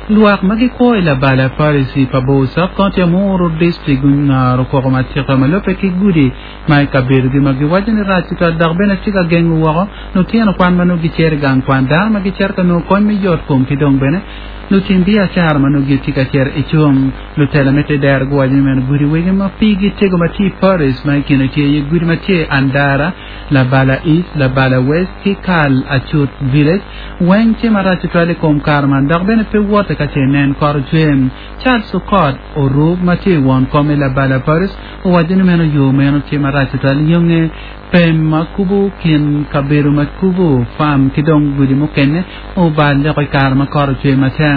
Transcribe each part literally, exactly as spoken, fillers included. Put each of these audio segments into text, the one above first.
Lwak ma gikwo i Labala Parish i Pabor Sub-County Amuru District gungaro koko matika ma lubbe ki gudi ma i kabedogi ma giwaco ni rac tutwal dok bene tye ka gengo woko lutino kwan ma nongo gicito i gang kwan dano ma gicito ka nongo kony me yot kom ki dong bene lutim biacara ma nongo gitye ka cito i cung lutela me te dero guwaco ni meno gudi wege ma pigi tego ma tye i Parish ma i kine tye iye gudi ma tye Andara Labala East Labala West ki Kal Acut Village weng tye marac tutwal i kom kare man dok bene pe wote ka ce nen kot ocwe Charles Okot Orub ma tye i won kom i Labala Parish owaco ni meno yo meno tye marac tutwal yonge pem ma kubo kin kabedo ma kubo farm ki dong gudi mukene obal leko i kare ma kot ocwe matek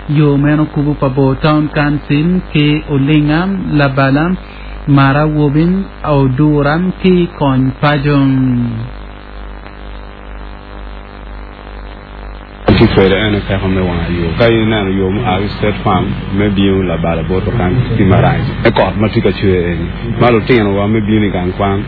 yo meno kubo Pabor Town Council ki Olinga Labala Mara Wobin Odura ki Kony Paco. Tye kwede ene peko me wang yo ka ineno yo mua ki state farm me bino Labala botwa kany tye marac me kot ma tye ka cwer eni ma lutinowa me bino i gang kwan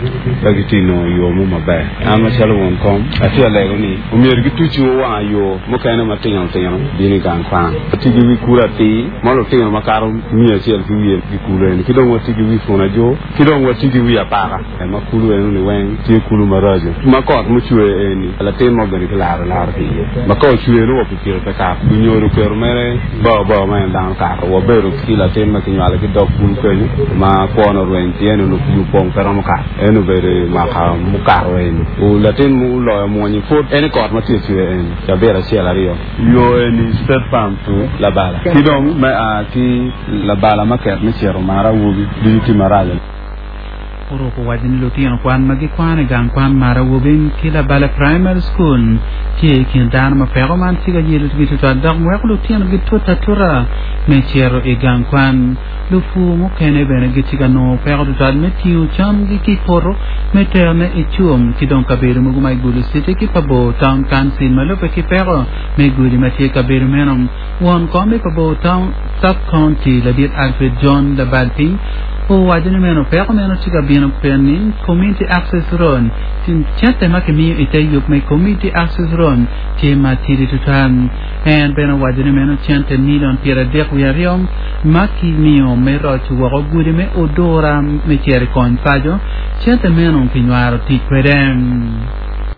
pe gitye nongo yo mo maber an macalo won kom atye alego ni omyero gituc wang yo mukene matino tino bino i gang kwan watye ki wi kulu atir ma lutino makato miya acel ki wiye ki kulu eni ki dong watye ki wi puna jo ki dong watye ki wi apaka ma kulu eno ni weng tye kulu maraco ma kot mucwe eni latin mo bene kilaro laro ki iye ma ka ocwe nongo pikipiki pe kato lunyodo oketo mere bao bao ma en dano kato wabedo ki latin ma kinywalo ki dog kulu kenyo ma kwone orweny pien onongo pii opong pe romo kato en obedo i mwaka mukato eni latin muloyo mwonyi pud en i kot ma tye cwe eni cabit acel aryo yo eni state farm to Labala ki dong me a ki Labala market me cito Mara Awobi ducu tye marac. Oruko waco ni lutino kwan ma gikwano i gang kwan Mara Awobi ki Labala Primary School tye i kin dano ma peko man tye ka yelogi tutwal dok weko lutino gitute atuta me cito i gang kwan lupur mukene bene gitye ka nongo peko tutwal me tingo camgi ki i poto me terone i cum ki dong kabedo mogo ma i Gulu City ki Pabor Town Council ma lubbe ki peko me gudi ma tye i kabedo meno won kom i Pabor Town Sub-County ladit Alfred John Labal piny owaco ni meno peko meno tye ka bino pien ni Community Access Road cente ma kimiyo i te yub me Community Access Road tye matidi tutwal en bene owaco ni meno cente milion pyera adek wiye aryo ma kimiyo me roco woko gudi me Odura me cito i Kony Paco cente meno kinywaro tic kwede.